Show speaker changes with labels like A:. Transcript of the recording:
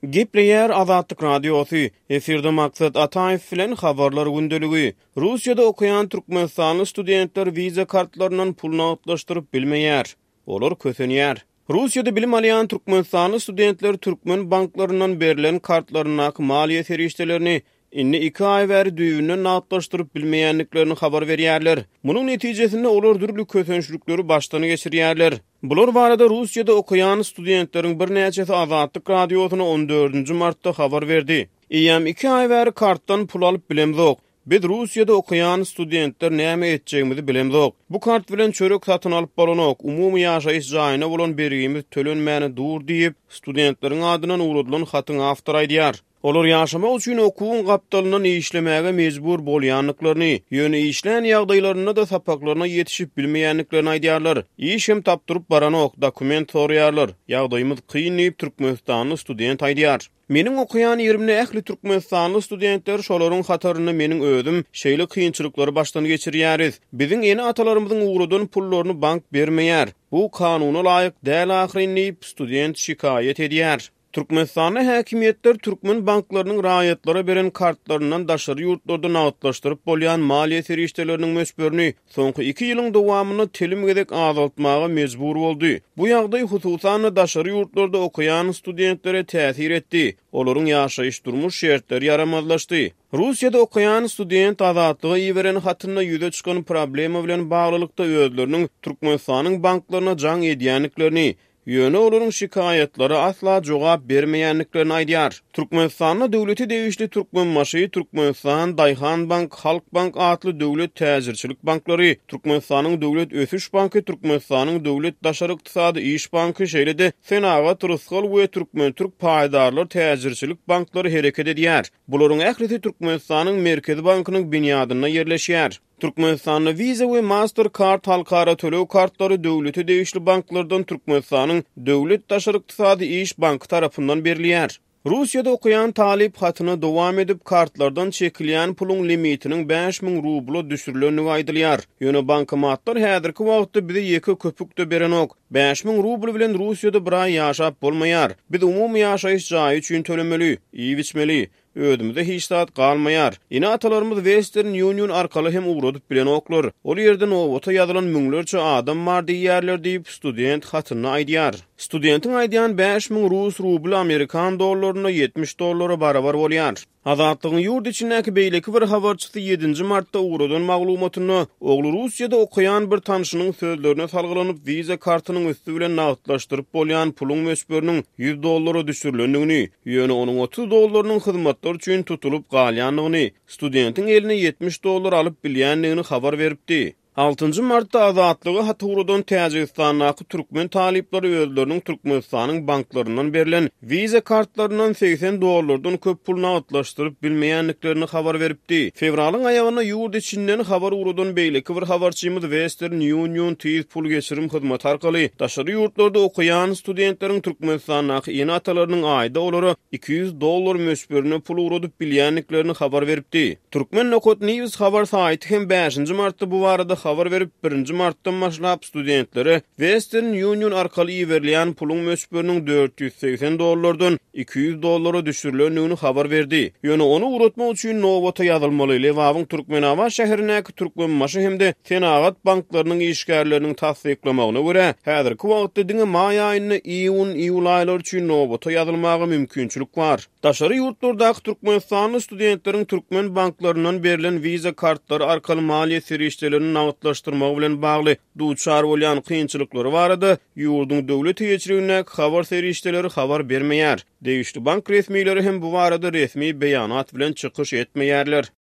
A: Gepleýär Azatlyk Radiosy, efirde Maksat Ataýew bilen Habarlar gündeligi. Russiýada okaýan türkmenistanly studentler wiza kartlaryndan pul nagtlaşdyryp bilmeýär. Olar kösenýär. Russiýada bilim alýan türkmenistanly studentler türkmen banklaryndan berlen kartlaryndaky maliýe serişdelerini indi iki aý bäri düýbünden nagtlaşdyryp bilmeýändiklerini habar berýärler. Munuň netijesinde olar dürli kösençlikleri başdan geçirýärler. Bular barada Russiýada okaýan studentleriň birnäçesi Azatlyk Radiosyna on dördünji martda habar berdi. Eýýäm iki aý bäri kartdan pul alyp bilemzok. Biz Russiýada okaýan studentler näme etjegimizi bilemzok. Bu kart bilen çörek satyn alyp bolanok, umumy ýaşaýyş jaýyna bolan bergimiz tölenmäni dur diýip, studentleriň adyndan ugradylan hatyň awtory aýdýar. Olar ýaşamak üçin okuwyň gapdalyndan işlemäge mejbur bolýandyklaryny, ýöne işlän ýagdaýlarynda-da sapaklaryna ýetişip bilmeýändiklerini aýdýarlar. Iş hem tapdyryp baranok, dokument soraýarlar. Ýagdaýymyz kyn diýip, türkmenistanly student aýdýar. Meniň okaýan ýerimde ähli türkmenistanly studentler, şolaryň hatarynda meniň özüm şeýle kynçylyklary başdan geçirýäris. Biziň ene-atalarymyzyň ugradan pullaryny bank bermeýär. Bu kanuna laýyk däl ahyryn diýip, student şikaýat edýär. Türkmenistanda häkimiýetler türkmen banklarynyň raýatlara beren kartlaryndan daşary ýurtlarda nagtlaşdyryp bolýan maliýe serişdeleriniň möçberini soňky iki ýylyň dowamynda telim gezek azaltmaga mejbur boldy. Bu ýagdaý, hususan-da, daşary ýurtlarda okaýan studentlere täsir etdi, olaryň ýaşaýyş-durmuş şertleri ýaramazlaşdy. Russiýada okaýan student Azatlyga iberen hatynda ýüze çykan problema bilen baglylykda özleriniň Türkmenistanyň banklaryna jaň edýändiklerini, Ýöne olaryň şikaýatlara asla jogap bermeýändiklerini aýdýar. Türkmenistanda döwlete degişli Türkmenbaşy, Türkmenistan, Daýhanbank, Halkbank atly döwlet täjirçilik banklary, Türkmenistanyň Döwlet ösüş banky, Türkmenistanyň Döwlet daşary ykdysady iş banky, şeýle-de Senagat, Rysgal we Türkmen-türk paýdarlar täjirçilik banklary hereket edýär. Bularyň ählisi Türkmenistanyň Merkezi bankynyň binýadynda ýerleşýär. Türkmenistanda Visa we Mastercard halkara töleg kartlary döwlete degişli banklardan Türkmenistanyň Döwlet daşary ykdysady iş banky tarapyndan berilýär. Russiýada okaýan talyp hatyny dowam edip, kartlardan çekilýän puluň limitiniň 5000 rubla düşürilendigi aýdylýar. Ýöne bankomatlar häzirki wagtda bize ýeke köpük-de berenok. 5000 rubl bilen Russiýada bir aý ýaşap bolmaýar. Biz umumy ýaşaýyş jaýy üçin tölemeli, iýip-içmeli. Özümize hiç zat galmaýar. Ene-atalarymyz Western Union arkaly hem ugradyp bilenoklar. Ol ýerde nobata ýazylan müňlerçe adam bar diýýärler diýip, student hatynda aýdýar. Studentiň aýdýan 5000 rus rubly amerikan dollarynda 70 dollara barabar bolýar. Azatlygyň ýurt içindäki beýleki bir habarçysy ýedinji martda ugradan maglumatynda, ogly Russiýada okaýan bir tanşynyň sözlerine salgylanyp, Visa kartynyň üsti bilen nagtlaşdyryp bolýan puluň möçberiniň 100 dollara düşürilendigini, Ýöne onuň 30 dollarynyň hyzmatlar üçin tutulyp galýandygyny, studentiň eline 70 dollar alyp bilýändigini habar beripdi. Altynjy martda Azatlyga hat ugradan Täjigistandaky türkmen talyplary özleriniň Türkmenistanyň banklaryndan berlen Visa kartlaryndan 80 dollardan köp pul nagtlaşdyryp bilmeýändiklerini habar beripdi. Fewralyň aýagynda ýurt içinden habar ugradan beýleki bir habarçymyz Western Union tiz pul geçirim hyzmaty arkaly daşary ýurtlarda okaýan studentleriň Türkmenistandaky ene-atalarynyň aýda olara 200 dollar möçberinde pul ugradyp bilýändiklerini habar beripdi. Turkmen nokat news habar saýty hem bäşinji martda bu barada habar berip, birinji martdan başlap studentlere Western Union arkaly iberilýän puluň möçberiniň 480 dollardan 200 dollara düşürilendigini habar berdi. Ýöne ony ugratmak üçin nobata ýazylmaly. Lebabyň Türkmenabat şäherindäki Türkmenbaşy hem-de Senagat banklarynyň işgärleriniň tassyklamagyna görä, häzirki wagtda diňe maý aýynda iýun, iýul aýlary üçin nobata ýazylmaga mümkinçilik bar. Daşary ýurtlardaky türkmenistanly studentleriň türkmen banklaryndan berlen Visa kartlary arkaly maliýe serişdelerini nagtlaşdyrmagy bilen bagly duçar bolýan kynçylyklary barada ýurduň döwlet eýeçiligindäki habar serişdeleri habar bermeýär. Degişli bank resmileri hem bu barada resmi beýanat bilen çykyş etmeýärler.